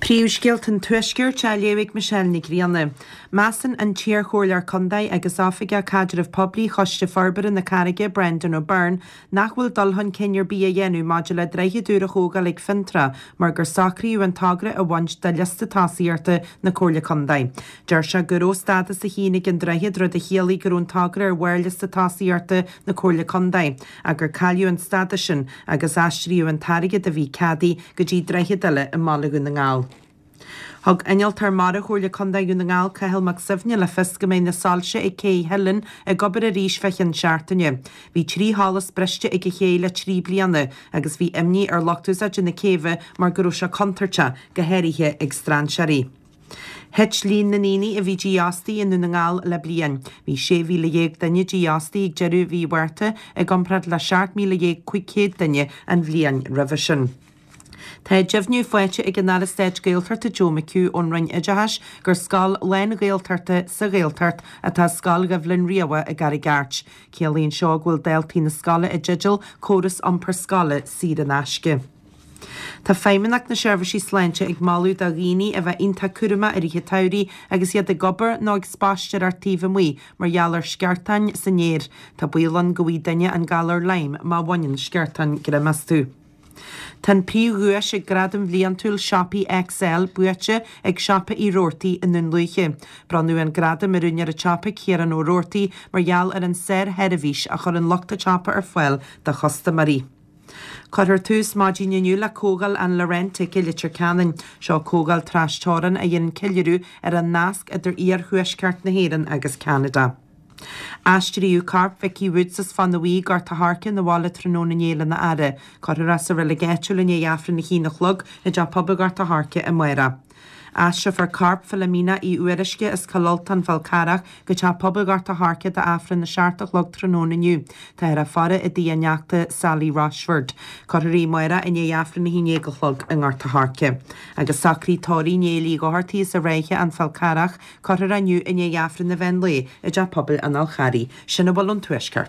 Príomhscéalta an Tuaiscirt á léamh ag Michelle Nic Grianna. Measann an t-iarchomhairleoir contae agus Oifigeach Caidreamh Poiblí Choiste Forbartha na Carraige, Brendan O'Byrne, nach bhfuil dul chun cinn ar bith á dhéanamh maidir le droichead úr a thógáil ag Fionntrá mar gur socraíodh an togra a bhaint de liosta tosaíochta na Comhairle Contae. Deir sé go raibh stádas a haon ag an droichead, rud a chiallaigh go raibh an togra ar bharr liosta tosaíochta na Comhairle Contae, ach gur cailleadh an stádas sin agus aistríodh an t-airgead a bhí ceadaithe go dtí droichead eile i mBaile Dhún na nGall. Thug Innealtóir Mara Chomhairle Contae Dhún na nGall, Cathal Mac Suibhne, le fios go mbeidh na soilse ag Cé Theilinn ag obair arís fé cheann seachtaine. Bhí 3 sholas briste ag an ché le 3 bliana agus bhí imní ar lucht úsáide na céibhe mar go raibh sé contúirteach, go háirithe ag strainséirí. Thit líon na ndaoine a bhí dífhostaithe i nDún na nGall le bliain. Bhí 16,000 duine dífhostaithe ag deireadh mhí Mhárta i gcomparáid le 17,500 duine an bhliain roimhe sin. Tá deimhniú faighte ag an Aire Stáit Gaeltachta Joe McHugh ón Roinn Oideachais gur scoil lán-Ghaeltachta sa Ghaeltacht atá i Scoil Dhoibhlin Riabhach i gCarraig Airt. Ciallaíonn seo go bhfuil daltaí na scoile i dteideal córas iompair scoile saor in aisce. Tá Feidhmeannacht na Seirbhísí Sláinte ag moladh do dhaoine a bheith iontach cúramach i rith an tsamhraidh agus iad ag obair nó ag spaisteoireacht taobh amuigh mar gheall ar sceartáin san aer. Tá baol ann go bhfaighidh duine an galar Lyme má bhaineann sceartáin greim astu. Tá an príomhdhuais ag Gradam Bhliantúil Siopaí XL buaite ag Siopa Uí Robhartaigh i nDún Lúiche. Bronnadh an gradam ar úinéir an tsiopa, Ciarán Ó Robhartaigh, mar gheall ar an sársheirbhís a chuireann lucht an tsiopa ar fáil do chustaiméirí. Cuirfear tús maidin inniu le Comhdháil an Laurentic i Leitir Ceanainn. Seo comhdháil trasteorann a dhéanann ceiliúradh ar an nasc idir iarthuaisceart na hÉireann agus Ceanada. Aistríodh corp Vicky Woods as Fána Bhuí, Gort a' Choirce, 'na bhaile tráthnóna inné lena fhaire. Cuirfear é sa reilig áitiúil i ndiaidh Aifreann a haon a chlog i dTeach Pobail Ghort a' Choirce amárach. Aistreofar corp Philomena Uí Fhuaruisce as Cill Ultáin Fál Carrach go Teach Pobail Ghort a' Choirce d'Aifreann a 7 a chlog tráthnóna inniu. Táthar á faire i dtigh a neachta Sally Rochford. Cuirfear í amárach i ndiaidh Aifreann 11 a chlog i nGort a' Choirce. Agus socraí tórraimh Néill Uí Dhochartaigh as an Ráithe, An Fál Carrach, cuirfear é inniu i ndiaidh Aifreann an mheán lae i dTeach Pobail an Fháil Charraigh. Sin a bhfuil ón Tuaisceart.